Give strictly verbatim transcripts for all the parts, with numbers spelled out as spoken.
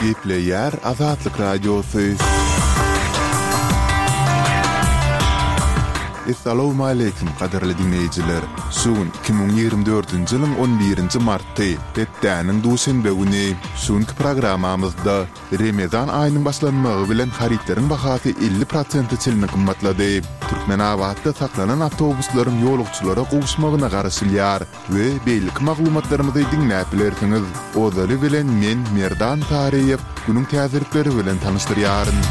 Gepleýär Azatlyk Radiosy. Essalawmaleýkim, gadyrly diňleýjiler! Şu gün iki müň ýigrimi dördünji ýylyň on birinji marty, hepdäniň duşenbe güni. Şu günki programmamyzda Remezan aýynyň başlanmagy bilen harytlaryň bahasy elli prosente çenli gymmatlady. Türkmenabatda saklanan awtobuslaryň ýolagçylara gowuşmagyna garaşylýar we beýleki maglumatlarymyzy diňläp bilersiňiz. Ozaly bilen men Merdan Saryýew günüň täzelikleri bilen tanyşdyrýaryn.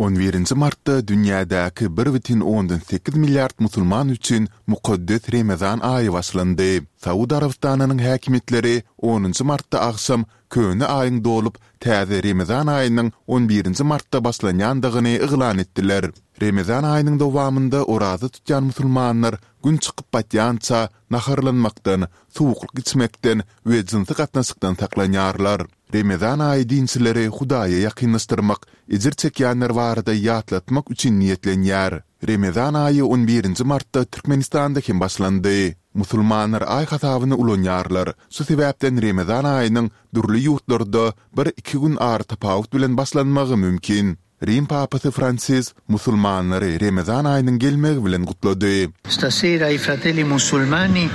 On birinji martda dünýädäki bir bütin ondan sekiz milliard musulman üçin mukaddes Remezan aýy başlandy. Saud Arabystanynyň häkimiýetleri onunjy martda agşam köne aýyň dolup, täze Remezan aýynyň on birinji martda başlanýandygyny yglan etdiler. Remezan aýynyň dowamynda oraza tutýan musulmanlar Gün çykyp batýança naharlanmakdan, suwuklyk içmekden we jynsy gatnaşykdan saklanýarlar. Remezan aýy dinçileri Hudaýa ýakynlaşdyrmak, ejir çekýänler barada ýatlatmak üçin niýetlenýär. Remezan aýy on birinji martda Türkmenistanda hem başlandy. Musulmanlar aý hasabyny ulanýarlar. Şu sebäpden Remezan aýynyň dürli ýurtlarda bir-iki gün aratapawut bilen başlanmagy mümkin. Rim papasy Fransis musulmanlary Remezan aýynyň gelmegi bilen gutlady. Stasera i fratelli musulmani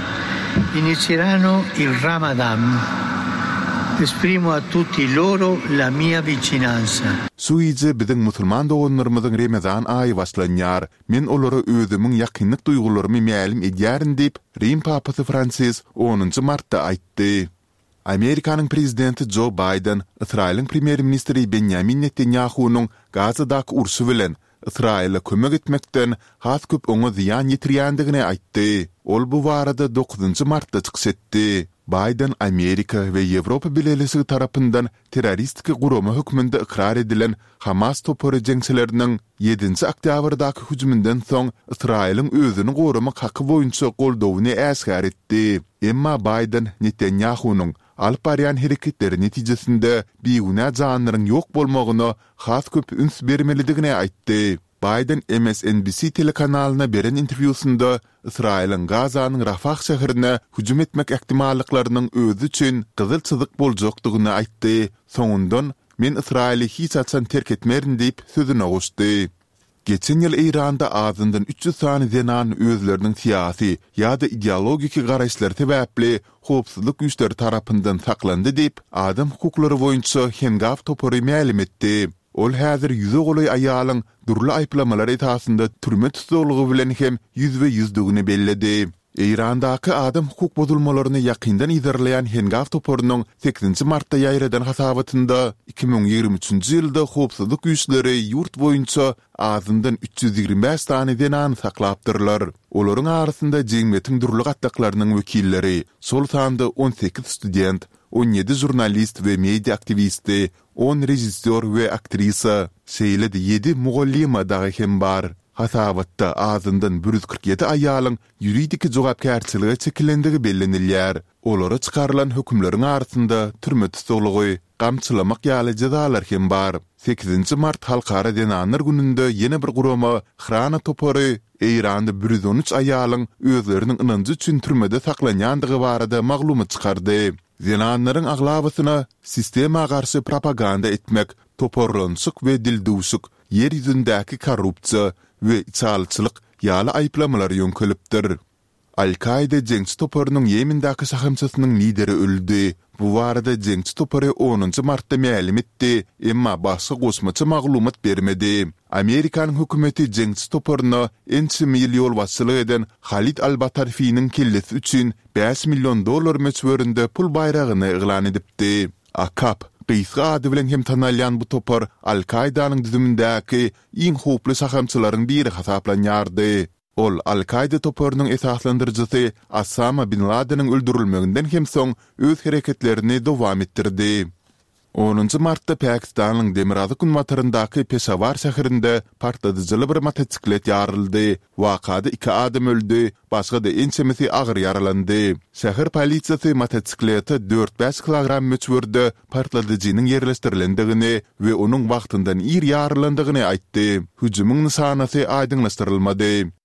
inizieranno il Ramadan. Esprimo a tutti loro la mia vicinanza. Şu gije biziň musulman doganlarymyzyň Remezan aýy başlanýar. Men olara özümiň ýakynlyk duýgularymy mälim edýärin diýip, Rim papasy Fransis onunjy martda aýtdy. Amerikanyň prezidenti Jo Baýden Ysraýylyň premýer-ministri Benýamin Netanýahunyň Gazadaky urşy bilen Ysraýyla kömek etmekden has köp oňa zyýan ýetirýändigini aýtdy. Ol bu barada dokuzynjy martda çykyş etdi. Baýden Amerika we Ýewropa Bileleşigi tarapyndan terroristiki gurama hökmünde ykrar edilen Hamas topary jeňçileriniň ýedinji oktýabrdaky hüjüminden soň Ysraýylyň özüni goramak haky boýunça goldawyny äşgär etdi. Emma Baýden Netanýahunyň alyp barýan hereketleri netijesinde bigünä janlaryň ýok bolmagyna has köp üns bermelidigini aýtdy. Baýden M S N B C telekanalyna beren interwýusynda Ysraýylyň Gazanyň Rafah şäherine hüjüm etmek ähtimallyklarynyň özi üçin gyzyl çyzyk boljakdygyny aýtdy, soňundan Men Ysraýyly hiç haçan terk etmerin diýip sözüne goşdy. Geçen ýyl Eýranda azyndan üç ýüz sany zenan özleriniň syýasy ýa-da ideologiki garaýyşlary sebäpli howpsuzlyk güýçleri tarapyndan saklandy diýip, adam hukuklary boýunça Hengaw topary mälim etdi. Ol häzir ýüze golaý aýalyň dürli aýyplamalar esasynda türme tussaglygy bilen hem ýüzbe-ýüzdigini belledi. Eýrandaky adam hukuk bozulmalaryny ýakyndan yzarlaýan Hengaw toparynyň sekizinji martda ýaýradan hasabatynda, iki müň ýigrimi üçünji ýylda howpsuzlyk güýçleri ýurt boýunça azyndan üç ýüz ýigrimi bäş sany zenany saklapdyrlar. Olaryň arasynda jemgyýetiň dürli gatlaklarynyň wekilleri, şol sanda on sekiz student, on ýedi žurnalist we media aktiwisti, on režissýor we aktrisa, şeýle-de ýedi mugallyma dagy hem bar. Hasabatda azyndan bir ýüz kyrk ýedi aýalyň ýuridiki jogapkärçilige çekilendigi bellenilýär. Olara çykarylan hökümleriň arasynda türme tussaglygy, gamçylamak ýaly jezalar hem bar. Sekizinji mart Halkara zenanlar gününde ýene bir gurama, Hrana topary Eýranda bir ýüz on üç aýalyň özleriniň ynanjy üçin türmede saklanýandygy barada maglumat çykardy. Zenanlaryň aglabasyna sistema garşy propaganda etmek, toparlanyşyk we dildüwşük, ýer ýüzündäki korrupsiýa we içalyçylyk ýaly aýyplamalar ýöňkelipdir. Al-Kaida jeňçi toparynyň Ýemendäki şahamçasynyň lideri öldi. Bu barada jeňçi topary onunjy martda mälim etdi, emma başga goşmaça maglumat bermedi. Amerikanyň hökümeti jeňçi toparyna ençeme ýyl ýolbaşçylyk eden Halid al-Batarfiniň kellesi üçin bäş million dollar möçberinde pul baýragyny yglan edipdi. AQAP gysga ady bilen hem tanalýan bu topar Al-Kaidanyň düzümindäki iň howply şahamçylaryň biri hasaplanýardy. Ol Al-Kaida toparynyň esaslandyryjysy Osama bin Ladeniň öldürilmeginden hem soň öz hereketlerini dowam etdirdi. Onunjy martda Pakistanyň demirgazyk-günbataryndaky Peşawar şäherinde partladyjyly bir motosiklet ýaryldy. Wakada iki adam öldi, başga-da ençemesi agyr ýaralandy. Şäher polisiýasy motosiklete dört-bäş kilogram möçberde partladyjynyň ýerleşdirilendigini we onuň wagtyndan ir ýarylandygyny aýtdy. Hüjümiň nyşanasy aýdyňlaşdyrylmady.